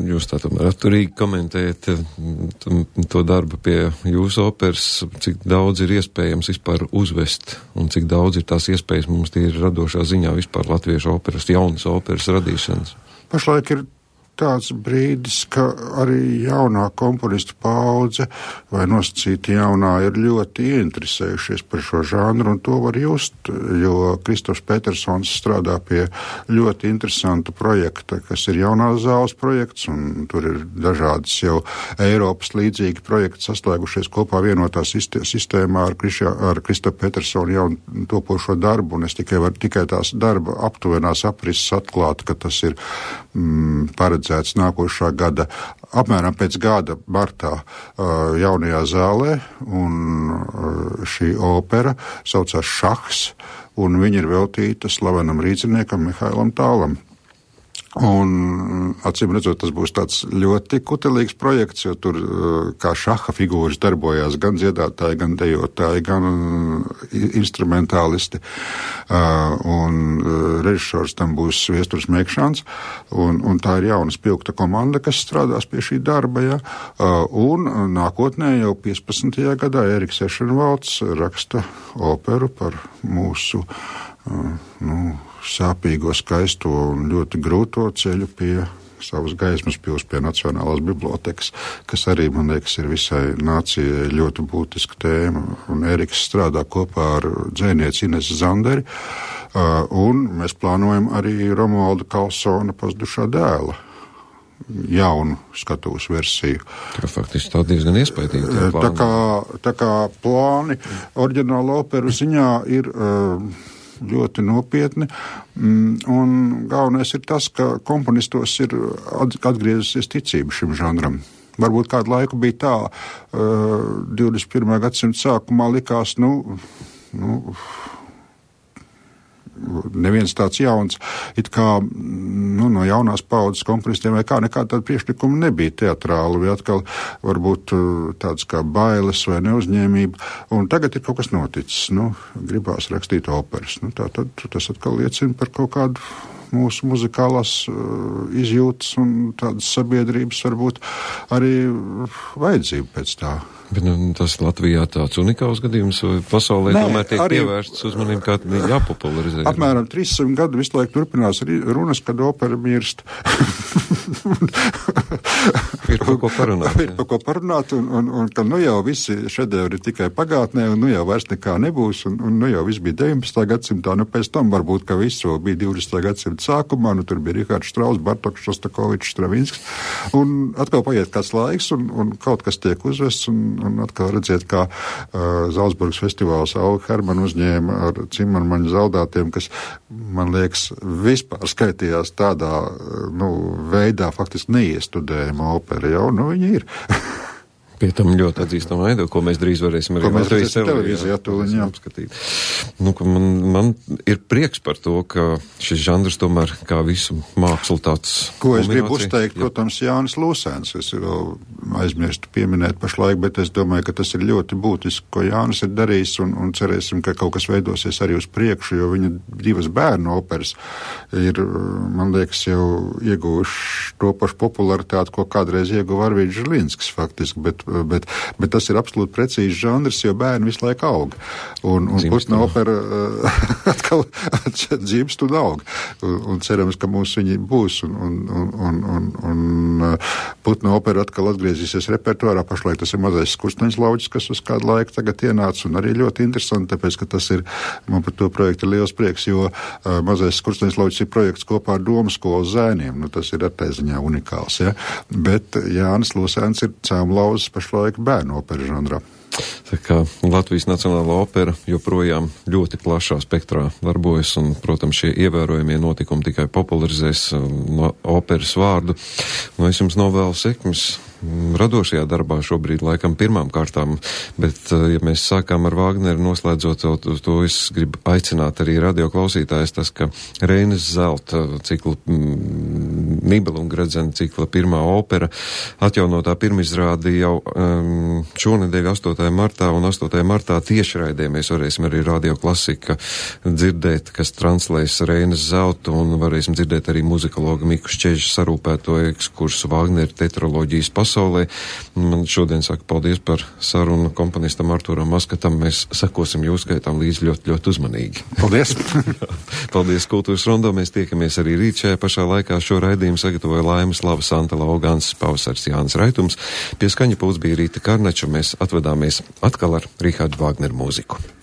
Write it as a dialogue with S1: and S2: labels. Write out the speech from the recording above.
S1: Jūs tā tomēr atturīgi komentējat to darbu pie jūsu operas, cik daudz ir iespējams vispār uzvest un cik daudz ir tās iespējas mums tīri radošā ziņā vispār latviešu operas, jaunas operas radīšanas?
S2: Pašlaik ir tāds brīdis, ka arī jaunā komponistu paudze vai nosacīti jaunā ir ļoti ieinteresējušies par šo žanru, un to var just, jo Kristofs Petersons strādā pie ļoti interesanta projekta, kas ir jaunās zāles projekts, un tur ir dažādas jau Eiropas līdzīgi projekti saslēgušies kopā vienotā sistēmā ar Kristofu Petersonu jaunu topošo darbu, un es tikai tās darba aptuvenās aprises atklāt, ka tas ir paredzēts nākošā gada, apmēram pēc gada martā jaunajā zālē, un šī opera saucās Šahs, un viņa ir veltīta slavenam rīciniekam Mihailam Tālam. Un, acīm redzot, tas būs tāds ļoti kutelīgs projekts, jo tur kā šaha figūras darbojās gan dziedātāji, gan dejotāji, gan instrumentālisti. Un režisors tam būs Viesturs Mekšāns, un tā ir jauna spilgta komanda, kas strādās pie šī darba. Ja? Un nākotnē jau 15. gadā Eriks Ešenvalds raksta operu par mūsu sāpīgo, skaisto un ļoti grūto ceļu pie savas gaismas pils pie Nacionālās bibliotekas, kas arī, man liekas, ir visai nācijai ļoti būtiska tēma. Un Eriks strādā kopā ar dzejnieci Inesu Zanderi, un mēs plānojam arī Romualda Kalsona pazudušā dēla jaunu skatuves versiju.
S1: Tā faktiski tā diezgan iespaidīga.
S2: Tā kā plāni oriģināla operu ziņā ir ļoti nopietni, un galvenais ir tas, ka komponistos ir atgriezusies ticība šim žanram. Varbūt kādu laiku bija tā, 21. gadsimta sākumā likās, neviens tāds jauns, it kā no jaunās paudzes komponistiem vai kā nekāda tāda priekšlikuma nebija teatrāla, vai atkal varbūt tāds kā bailes vai neuzņēmība, un tagad ir kaut kas noticis, gribās rakstīt operas. Tātad tas atkal liecina par kaut kādu mūsu muzikālās izjūtas un tādas sabiedrības varbūt arī vajadzību pēc tā.
S1: Bet tas Latvijā tāds unikāls gadījums, vai pasaulē tomēr tiek pievērsts uzmanību, kā jāpopularizē?
S2: Apmēram 300 gadu visu laiku turpinās runas, kad opera mirst.
S1: Ir par ko parunāt.
S2: Ir par ko parunāt, un ka jau visi šedevri ir tikai pagātnē, un jau vairs nekā nebūs, un jau viss bija 19. gadsimtā, pēc tam varbūt, ka viss bija 20. gadsimta sākumā, tur bija Rihards Štrauss, Bartoks, Šostakovičs, Stravinskis, un atkal paiet kāds laiks, un kaut kas tiek uzvests, un atkal redziet, kā Zalcburgas festivāls Auli Hermanu uzņēma ar Cimarmaņu zaudātiem, kas, man liekas, vispār skaitījās tādā, veidā faktiski neiestudējama opera, jau, viņi ir.
S1: Pie tam ļoti atzīstama aido, ko mēs drīz varēsim arī Latvijas televīzijā apskatīt. Man ir prieks par to, ka šis žanrs tomēr kā visu mākslu tāds
S2: ko es gribu uzteikt, protams, Jānis Lūsēns. Es vēl aizmirstu pieminēt pašlaik, bet es domāju, ka tas ir ļoti būtiski, ko Jānis ir darījis, un cerēsim, ka kaut kas veidosies arī uz priekšu, jo viņa divas bērnu operas ir, man liekas, jau ieguvuši to pašu popularitāti, ko kādreiz ieguva Arvīds Žilinskis faktiski, bet tas ir absolūti precīzi žanrs, jo bērni visu laiku aug. Un putna opera atkal dzimst un aug. Un cerams, ka mums viņi būs. Un putna opera atkal atgriezīsies repertuārā. Pašlaik tas ir Mazais Skursteņš lauģis, kas uz kādu laiku tagad ienāca. Un arī ļoti interesanti, tāpēc, ka tas ir, man par to projektu ir liels prieks, jo Mazais Skursteņš lauģis ir projekts kopā ar Domu skolas zēniem. Tas ir attēziņā unikāls. Ja? Bet Jānis Lūsēns ir cēmlauzes pašlaik bērnu opera žanrā.
S1: Tā kā Latvijas Nacionālā opera joprojām ļoti plašā spektrā darbojas, un, protams, šie ievērojamie notikumi tikai popularizēs operas vārdu. Es jums novēlu sekmes radošajā darbā šobrīd laikam pirmām kārtām, bet, ja mēs sākām ar Vāgneru noslēdzot to es gribu aicināt arī radioklausītājs, tas, ka Reinas zelta cikla, Nibelungradzena cikla pirmā opera atjaunotā pirmizrādi jau šonedēļ 8. martā un 8. martā tiešraidē mēs varēsim arī Radio Klasika dzirdēt, kas translēs Reinas zeltu un varēsim dzirdēt arī muzikologa Miku Šķeža sarūpēto ekskursu Vāgneru tetraloģijas pasaulē. Man šodien saka paldies par sarunu komponistam Artūram Maskatam. Mēs sekosim jūsu gaitām līdz ļoti, ļoti uzmanīgi.
S2: Paldies!
S1: Paldies Kultūras Rondo. Mēs tiekamies arī rīt šajā pašā laikā. Šo raidījumu sagatavoja Laimas Lava, Santa Laugāns, Pavasars Jānis Raitums. Pie skaņa pūts bija Rīta Karneča. Mēs atvedāmies atkal ar Richārdu Vāgneru mūziku.